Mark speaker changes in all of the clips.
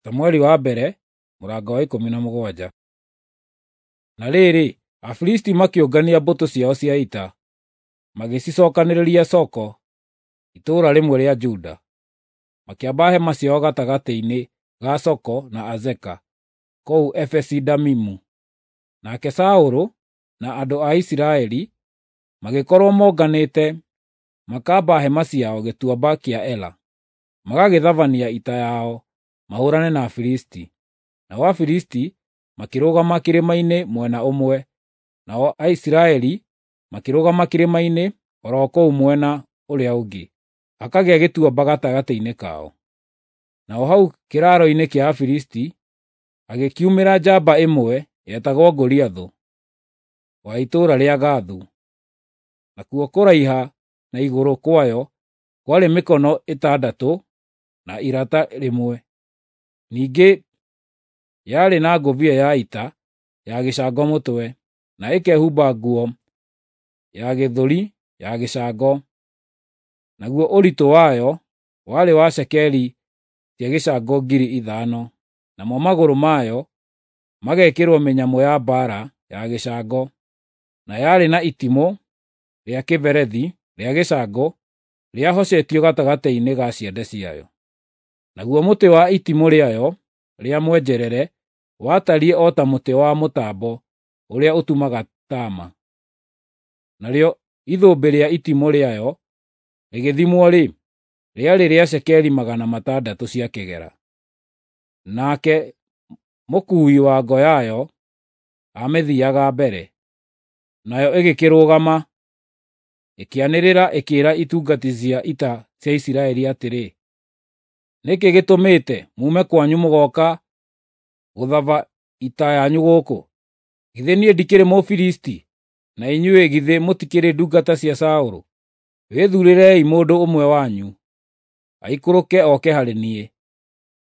Speaker 1: Samueli wa mbere mũrango wa 17. Na rĩrĩ, Afilisti makĩũngania mbũtũ ciao cia ita, magĩcicookanĩrĩria Soko, itũũra rĩmwe rĩa Juda. Makĩamba hema ciao gatagatĩ-inĩ ga Soko na Azeka, kũu Efesi-Damimu. Nake Saũlũ na andũ a Isiraeli magĩkorwo monganĩte makamba hema ciao gĩtuamba kĩa Ela, magagĩthabania ita yao mahũũrane na Afilisti. Nao Afilisti makĩrũgama kĩrĩma-inĩ mwena ũmwe, nao Aisiraeli makĩrũgama kĩrĩma-inĩ o ro kũu mwena ũrĩa ũngĩ, hakagĩa gĩtuamba gatagatĩ-inĩ kao. Naho hau kĩraaro-inĩ kĩa Afilisti hagĩkiumĩra njamba ĩmwe yetagwo Goliathũ, wa itũũra rĩa Gathu. Nakuo kũraiha na igũrũ kwayo kwarĩ mĩkono 6 na irata rĩmwe. Ningĩ yarĩ na ngũbia ya ita ya gĩcango mũtwe, na ĩkehumba nguo ya gĩthũri ya gĩcango. Naguo ũritũ wayo warĩ wa cekeri cia gĩcango 5,000, namo magũrũ mayo magekĩrwo mĩnyamũ ya mbaara ya gĩcango, na yarĩ na itimũ rĩa kĩberethi rĩa gĩcango rĩahocetio gatagatĩ-inĩ ga ciande ciayo. Naguo mũtĩ wa itimũ rĩayo rĩa mwenjerere watariĩ o ta mũtĩ wa mũtambo ũrĩa ũtumaga taama. Narĩo ithũmbĩ rĩa itimũ rĩayo rĩgĩthimwo-rĩ, rĩarĩ rĩa cekeri 600 cia kĩgera. Nake mũkuui wa ngo yayo aamĩthiiaga mbere. Nayo ĩgĩkĩrũgama, ĩkĩanĩrĩra ĩkĩĩra itungati cia ita cia Isiraeli atĩrĩ, “Nĩ kĩĩ gĩtũmĩte muume kwanyu mũgooka gũthaba ita yanyu gũkũ? Githĩ niĩ ndikĩrĩ Mũfilisti, na inyuĩ githĩ mũtikĩrĩ ndungata cia Saũlũ? Wĩthuurĩrei mũndũ ũmwe wanyu, aikũrũke oke harĩ niĩ.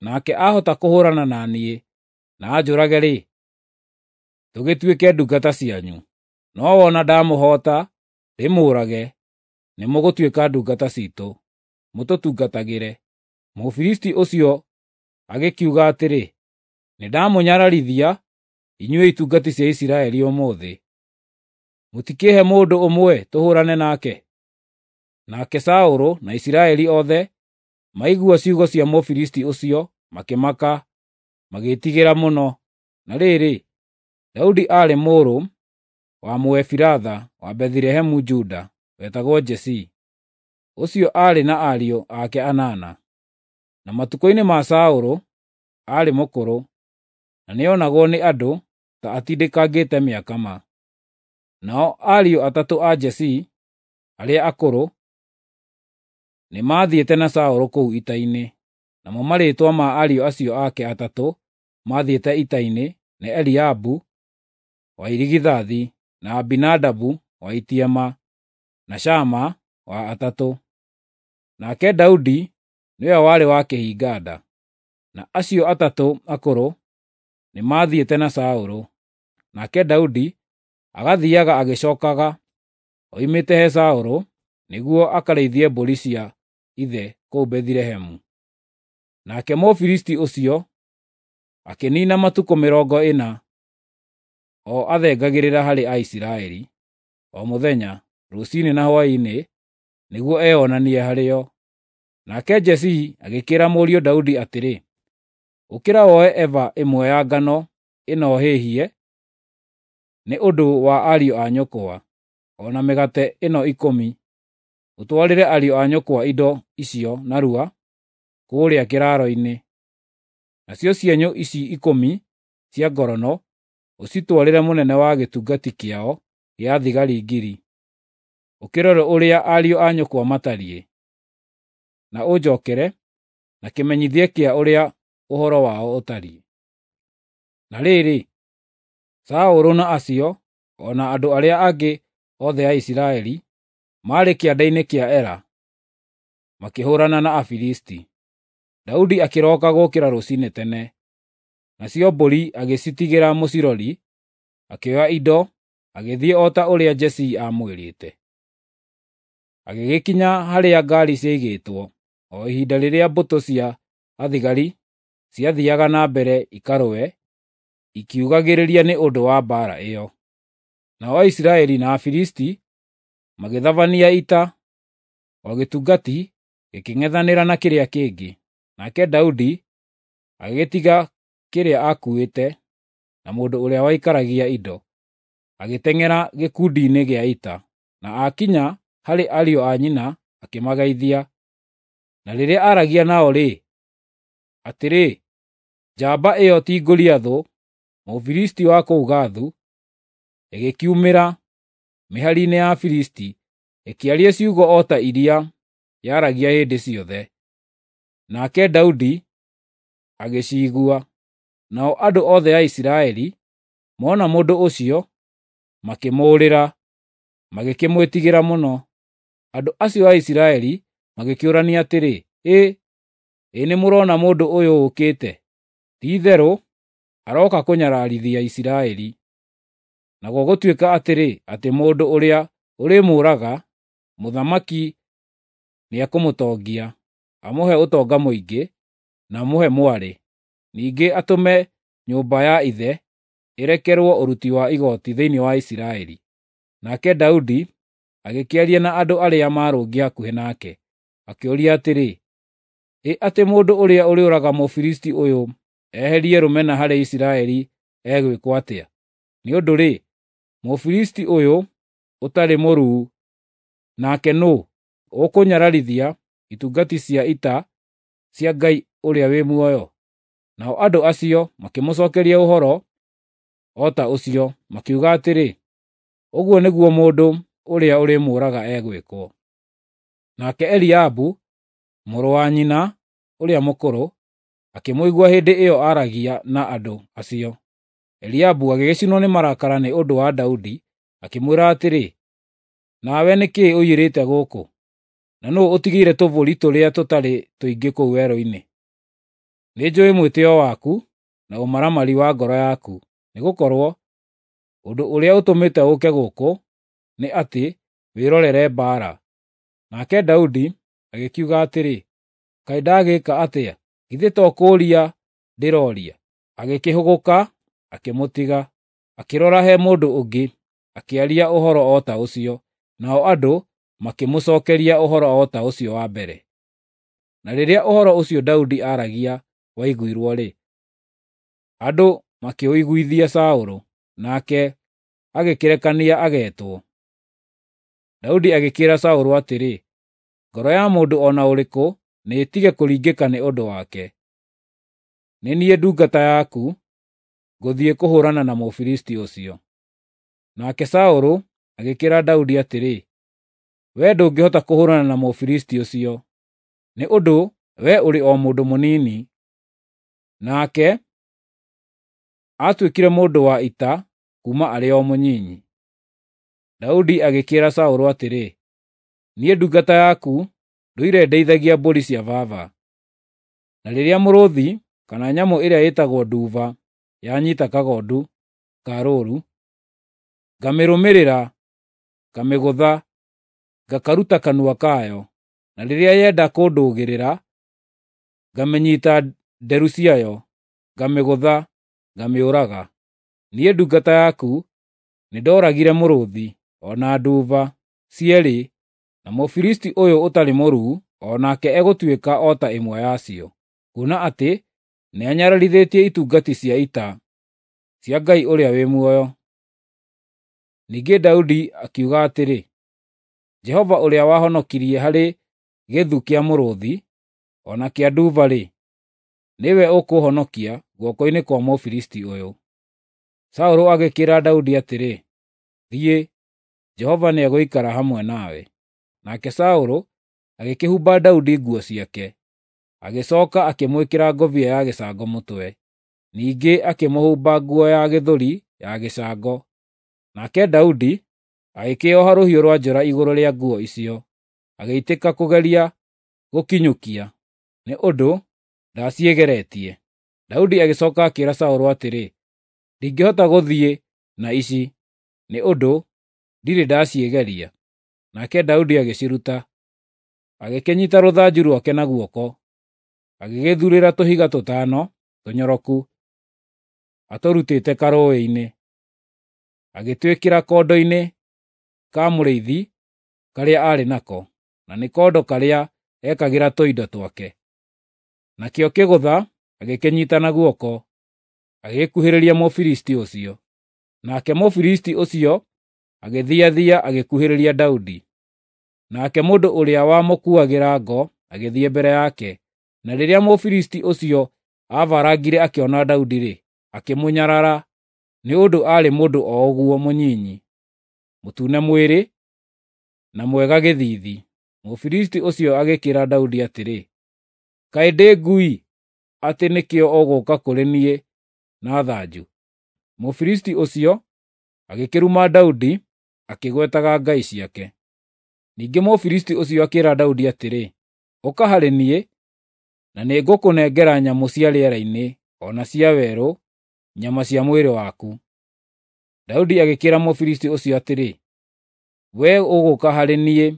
Speaker 1: Nake ahota kũhũũrana na niĩ na anjũrage-rĩ, tũgĩtuĩke ndungata cianyu. No wona ndamũhoota ndĩmũũrage, nĩmũgũtuĩka ndungata ciitũ, mũtũtungatagĩre.” Mũfilisti ũcio agĩkiuga atĩrĩ, “Nĩndamũnyararithia inyuĩ itungati cia Isiraeli ũmũthĩ. Mũtikĩĩhe mũndũ ũmwe tũhũũrane nake?” Nake Saũlũ na Isiraeli othe maigua ciugo cia Mũfilisti ũcio makĩmaka, magĩĩtigĩra mũno. Na rĩrĩ, Daudi aarĩ mũrũ wa Mũefiratha wa Bethilehemu Juda, wetagwo Jesii. Ũcio aarĩ na ariũ ake 8. Na matukũ-inĩ ma Saũlũ aarĩ mũkũrũ, na nĩonagwo nĩ andũ ta atindĩkangĩte mĩaka ma. Nao ariũ 3 a Jesii arĩa akũrũ nĩmathiĩte na Saũlũ kũu ita-inĩ. Namo marĩĩtwa ma ariũ acio ake 3 maathiĩte ita-inĩ nĩ Eliabu wa irigithathi, na Abinadabu wa itiema, na Shama wa atatũ. Nake Daudi nĩwe warĩ wa kĩhinga-nda. Na acio 3 akũrũ nĩmathiĩte na Saũlũ. Nake Daudi agathiiaga agĩcookaga oimĩte he Saũlũ nĩguo akarĩithie mbũri cia ithe kũu Bethilehemu. Nake Mũfilisti ũcio akĩniina matukũ 40 o athengagĩrĩra harĩ Aisiraeli, o mũthenya, rũciinĩ na hwaĩ-inĩ, nĩguo eyonanie harĩo. Nake Jesii agĩkĩĩra mũriũ Daudi atĩrĩ, “Ũkĩra woe eba ĩmwe ya ngano ĩno hĩhie nĩ ũndũ wa ariũ a nyũkwa, o na mĩgate ĩno 10, ũtwarĩre ariũ a nyũkwa indo icio narua kũũrĩa kĩraaro-inĩ. Nacio cienyũ ici 10 cia ngorono ũcitwarĩre mũnene wa gĩtungati kĩao gĩa thigari 1,000. Ũkĩrore ũrĩa ariũ a nyũkwa matariĩ, na ũnjookere na kĩmenyithia kĩa ũrĩa ũhoro wao ũtariĩ.” Na rĩrĩ, Saũlũ na acio, o na andũ arĩa angĩ othe a Isiraeli, maarĩ kĩanda-inĩ kĩa Ela, makĩhũũrana na Afilisti. Daudi akĩroka gũũkĩra rũciinĩ tene, nacio mbũri agĩcitigĩra mũcirori, akĩoya indo, agĩthiĩ o ta ũrĩa Jesii aamwĩrĩte. Agĩgĩkinya harĩa ngaari ciaigĩtwo o ihinda rĩrĩa mbũtũ cia athigari ciathiiaga na mbere ikarũe, ikiugagĩrĩria nĩ ũndũ wa mbaara ĩyo. Nao Aisiraeli na Afilisti magĩthabania ita, o gĩtungati gĩkĩng'ethanĩra na kĩrĩa kĩngĩ. Nake Daudi agĩgĩtiga kĩrĩa aakuuĩte na mũndũ ũrĩa waikaragia indo, agĩteng'era gĩkundi-inĩ gĩa ita, na aakinya harĩ ariũ a nyina akĩmageithia. Na rĩrĩa aaragia nao-rĩ, atĩrĩ, njamba ĩyo ti Goliathũ, Mũfilisti wa kũu Gathu, ĩgĩkiumĩra mĩhari-inĩ ya Afilisti, ĩkĩaria ciugo o ta iria yaragia hĩndĩ ciothe. Nake Daudi agĩciigua. Nao andũ othe a Isiraeli mona mũndũ ũcio, makĩmũũrĩra, magĩkĩmwĩtigĩra mũno. Andũ acio a Isiraeli magĩkĩũrania atĩrĩ, “Ĩ, ĩ nĩmũrona mũndũ ũyũ ũũkĩte? Ti-itherũ arooka kũnyararithia Isiraeli. Na gũgũtuĩka atĩrĩ, atĩ mũndũ ũrĩa ũrĩmũũraga, mũthamaki nĩekũmũtongia, amũhe ũtonga mũingĩ, na amũhe mwarĩ. Ningĩ atũme nyũmba ya ithe ĩrekerwo ũruti wa igooti thĩinĩ wa Isiraeli.” Nake Daudi agĩkĩaria na andũ arĩa maarũngiĩ hakuhĩ nake, akĩũria atĩrĩ, “Ĩ atĩ mũndũ ũrĩa ũrĩũraga Mũfilisti ũyũ eherie rũmena harĩ Isiraeli egwĩkwo atĩa? Nĩ ũndũ-rĩ, Mũfilisti ũyũ ũtarĩ mũruu nake nũũ, ũkũnyararithia itungati cia ita cia Ngai ũrĩa wĩ muoyo?” Nao andũ acio makĩmũcookeria ũhoro o ta ũcio, makiuga atĩrĩ, “Ũguo nĩguo mũndũ ũrĩa ũrĩmũũraga egwĩkwo.” Nake Eliabu, mũrũ wa nyina ũrĩa mũkũrũ, akĩmũigua hĩndĩ ĩyo aaragia na andũ acio. Eliabu agĩgĩcinwo nĩ marakara nĩ ũndũ wa Daudi, akĩmwĩra atĩrĩ, “Nawe nĩ kĩĩ ũiyĩrĩte gũkũ? Na nũũ ũtigĩire tũbũri tũrĩa tũtarĩ tũingĩ kũu werũ-inĩ? Nĩnjũũĩ mwĩtĩĩo waku na ũmaramari wa ngoro yaku, nĩgũkorwo ũndũ ũrĩa ũtũmĩte ũũke gũkũ nĩ atĩ wĩrorere mbaara.” Nake Daudi agĩkiuga atĩrĩ, “Kaĩ ndagĩka atĩa? Githĩ to kũũria ndĩrooria?” Agĩkĩhũgũka akĩmũtiga, akĩrora he mũndũ ũngĩ, akĩaria ũhoro o ta ũcio, nao andũ makĩmũcookeria ũhoro o ta ũcio wa mbere. Na rĩrĩa ũhoro ũcio Daudi aaragia waiguirwo-rĩ, andũ makĩũiguithia Saũlũ, nake agĩkĩrekania ageetwo. Daudi agĩkĩĩra Saũlũ atĩrĩ, “Ngoro ya mũndũ o na ũrĩkũ nĩĩtige kũringĩka nĩ ũndũ wake. Nĩ niĩ ndungata yaku, ngũthiĩ kũhũũrana na Mũfilisti ũcio.” Nake Saũlũ agĩkĩĩra Daudi atĩrĩ, “Wee ndũngĩhota kũhũũrana na Mũfilisti ũcio, nĩ ũndũ wee ũrĩ o mũndũ mũnini, nake aatuĩkire mũndũ wa ita kuuma arĩ o mũnyinyi.” Daudi agĩkĩĩra Saũlũ atĩrĩ, “Niĩ ndungata yaku ndũire ndeithagia mbũri cia baba. Na rĩrĩa mũrũũthi kana nyamũ ĩrĩa ĩtagwo nduba yanyiita kagondu ka rũũru, ngamĩrũmĩrĩra, ngamĩgũtha, ngakaruta kanua kayo. Na rĩrĩa yenda kũndũgĩrĩra, ngamĩnyiita nderu ciayo, ngamĩgũtha, ngamĩũraga. Niĩ ndungata yaku nĩndooragire mũrũũthi o na nduba cierĩ, na Mũfilisti ũyũ ũtarĩ mũruu o nake egũtuĩka o ta ĩmwe yacio, kuona atĩ nĩanyararithĩtie itungati cia ita cia Ngai ũrĩa wĩ muoyo. Ningĩ Daudi akiuga atĩrĩ, Jehova ũrĩa wahonokirie harĩ gĩthu kĩa mũrũũthi o na kĩa nduba-rĩ, nĩwe ũkũũhonokia guoko-inĩ kwa Mũfilisti ũyũ. Saũlũ agĩkĩĩra Daudi atĩrĩ, “Thiĩ, Jehova nĩegũikara hamwe nawe.” Nake Saũlũ agĩkĩhumba Daudi nguo ciake, agĩcooka akĩmwĩkĩra ngũbia ya gĩcango mũtwe. Ningĩ akĩmũhumba nguo ya gĩthũri ya gĩcango. Nake Daudi agĩkĩĩoha rũhiũ rwa njora igũrũ rĩa nguo icio, agĩitĩka kũgeria gũkinyũkia, nĩ ũndũ ndaciĩgeretie. Daudi agĩcooka akĩĩra Saũlũ atĩrĩ, “Ndingĩhota gũthiĩ na ici, nĩ ũndũ ndirĩ ndaciĩgeria.” Nake Daudi agĩciruta, agĩkĩnyiita rũthanju rwake na guoko, agĩgĩthuurĩra tũhiga tũtano, tũnyoroku atũrutĩte karũũĩ-inĩ, agĩtwĩkĩra kondo-inĩ ka mũrĩithi karĩa aarĩ nako, na nĩ kondo karĩa ekagĩra tũindo twake. Nakĩo kĩgũtha agĩkĩnyiita na guoko, agĩgĩkuhĩrĩria Mũfilisti ũcio. Nake Mũfilisti ũcio agĩthiathia agĩkuhĩrĩria Daudi. Nake mũndũ ũrĩa wamũkuuagĩra ngo agĩthiĩ mbere yake, na rĩrĩa Mũfilisti ũcio aabarangire akĩona Daudi-rĩ, akĩmũnyarara, nĩ ũndũ aarĩ mũndũ o ũguo mũnyinyi, mũtune mwĩrĩ, na mwega gĩthiithi. Mũfilisti ũcio agĩkĩĩra Daudi atĩrĩ, “Kaĩ ndĩ ngui atĩ nĩkĩo ũgũũka kũrĩ niĩ na thanju?” Mũfilisti ũcio agĩkĩruma Daudi akĩgwetaga ngai ciake. Ningĩ Mũfilisti ũcio akĩĩra Daudi atĩrĩ, “Ũka harĩ niĩ, na nĩngũkũnengera nyamũ cia rĩera-inĩ o na cia werũ nyama cia mwĩrĩ waku.” Daudi agĩkĩĩra Mũfilisti ũcio atĩrĩ, “Wee ũgũũka harĩ niĩ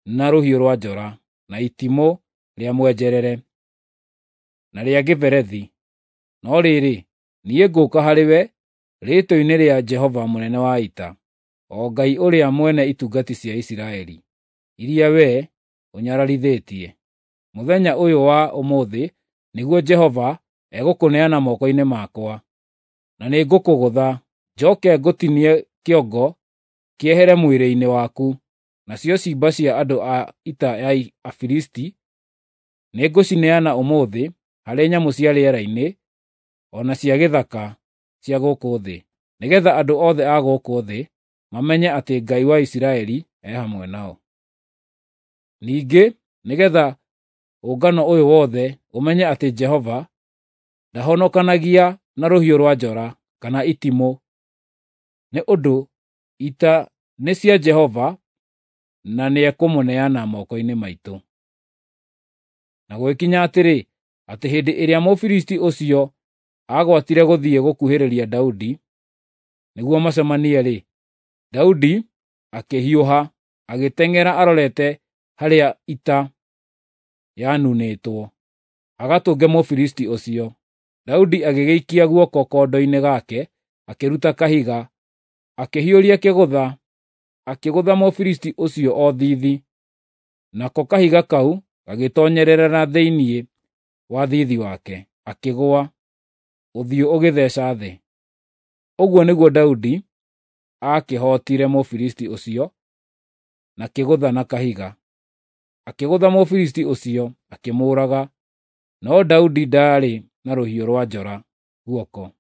Speaker 1: na rũhiũ rwa njora, na itimũ rĩa mwenjerere, na rĩa kĩberethi, no rĩrĩ, niĩ ngũũka harĩwe rĩĩtwa-inĩ rĩa Jehova mũnene wa ita, o Ngai ũrĩa mwene itungati cia Isiraeli, iria wee ũnyararithĩtie. Mũthenya ũyũ wa ũmũthĩ nĩguo Jehova egũkũneana moko-inĩ makwa, na nĩngũkũgũtha, njoke ngũtinie kĩongo kĩehere mwĩrĩ-inĩ waku, nacio ciimba cia andũ a ita ya Afilisti nĩngũcineana ũmũthĩ harĩ nyamũ cia rĩera-inĩ o na cia gĩthaka cia gũkũ thĩ, nĩgeetha andũ othe a gũkũ thĩ mamenye atĩ Ngai wa Isiraeli e hamwe nao. Ningĩ nĩgeetha ũngano ũyũ wothe ũmenye atĩ Jehova ndahonokanagia na rũhiũ rwa njora kana itimũ, nĩ ũndũ ita nĩ cia Jehova na nĩekũmũneana moko-inĩ maitũ. Na gũgĩkinya atĩrĩ, atĩ hĩndĩ ĩrĩa Mũfilisti ũcio aagwatire gũthiĩ gũkuhĩrĩria Daudi nĩguo macemanie-rĩ, Daudi akĩhiũha agĩteng'era arorete harĩa ita yanunĩtwo, agatũnge Mũfilisti ũcio. Daudi agĩgĩikia guoko kondo-inĩ gake, akĩruta kahiga, akĩhiũria kĩgũtha, akĩgũtha Mũfilisti ũcio o thiithi. Nako kahiga kau gagĩtoonyerera na thĩinĩ wa thiithi wake, akĩgũa, ũthiũ ũgĩtheeca thĩ. Ũguo nĩguo Daudi aakĩhootire Mũfilisti ũcio na kĩgũtha na kahiga. Akĩgũtha Mũfilisti ũcio, akĩmũũraga, no Daudi ndaarĩ na rũhiũ rwa njora guoko.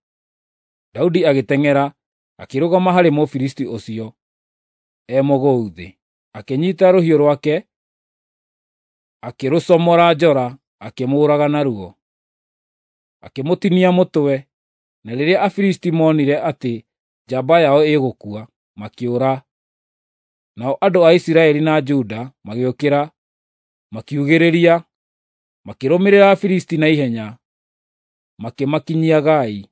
Speaker 1: Daudi agĩteng'era, akĩrũgama harĩ Mũfilisti ũcio e mũgũu thĩ. Akĩnyiita rũhiũ rwake, akĩrũcomora njora, akĩmũũraga naruo. Akĩmũtinia mũtwe, na rĩrĩa Afilisti moonire atĩ njamba yao ĩgũkua, makĩũra. Nao andũ a Isiraeli na Juda magĩũkĩra, makiugĩrĩria, makĩrũmĩrĩra Afilisti na ihenya, makĩmakinyia Gai,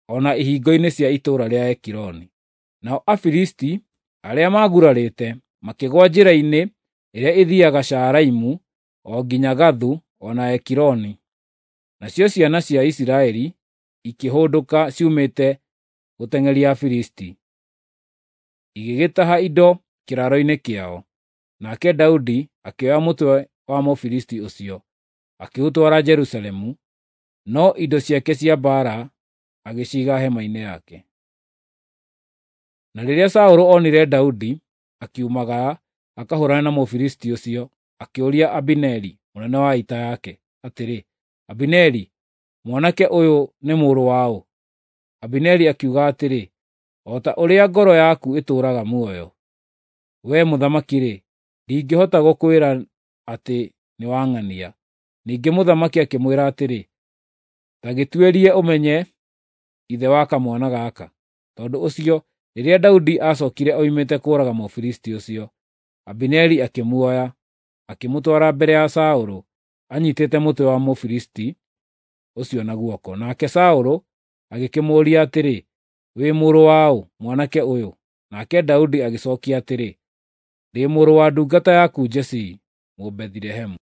Speaker 1: o na ihingo-inĩ cia itũũra rĩa Ekironi. Nao Afilisti arĩa maagurarĩte makĩgũa njĩra-inĩ ĩrĩa ĩthiiaga Shaaraimu o nginya Gathu o na Ekironi. Nacio ciana cia Isiraeli ikĩhũndũka ciumĩte gũteng'eria Afilisti, igĩgĩtaha indo kĩraaro-inĩ kĩao. Nake Daudi akĩoya mũtwe wa Mũfilisti ũcio, akĩũtwara Jerusalemu, no indo ciake cia mbaara agĩciiga hema-inĩ yake. Na rĩrĩa Saũlũ onire Daudi akiumagara akahũũrane na Mũfilisti ũcio, akĩũria Abineri, mũnene wa ita yake, atĩrĩ, “Abineri, mwanake ũyũ nĩ mũrũ wa ũ?” Abineri akiuga atĩrĩ, “O ta ũrĩa ngoro yaku ĩtũũraga muoyo, wee mũthamaki-rĩ, ndingĩhota gũkwĩra atĩ nĩwang'ania.” Ningĩ mũthamaki akĩmwĩra atĩrĩ, “Ta gĩtuĩrie ũmenye ithe wa kamwana gaka.” Tondũ ũcio, rĩrĩa Daudi aacookire oimĩte kũũraga Mũfilisti ũcio, Abineri akĩmuoya, akĩmũtwara mbere ya Saũlũ, anyiitĩte mũtwe wa Mũfilisti ũcio na guoko. Nake Saũlũ agĩkĩmũũria atĩrĩ, “Wĩ mũrũ wa ũ, mwanake ũyũ?” Nake Daudi agĩcookia atĩrĩ, “Ndĩ mũrũ wa ndungata yaku Jesii, Mũbethilehemu.”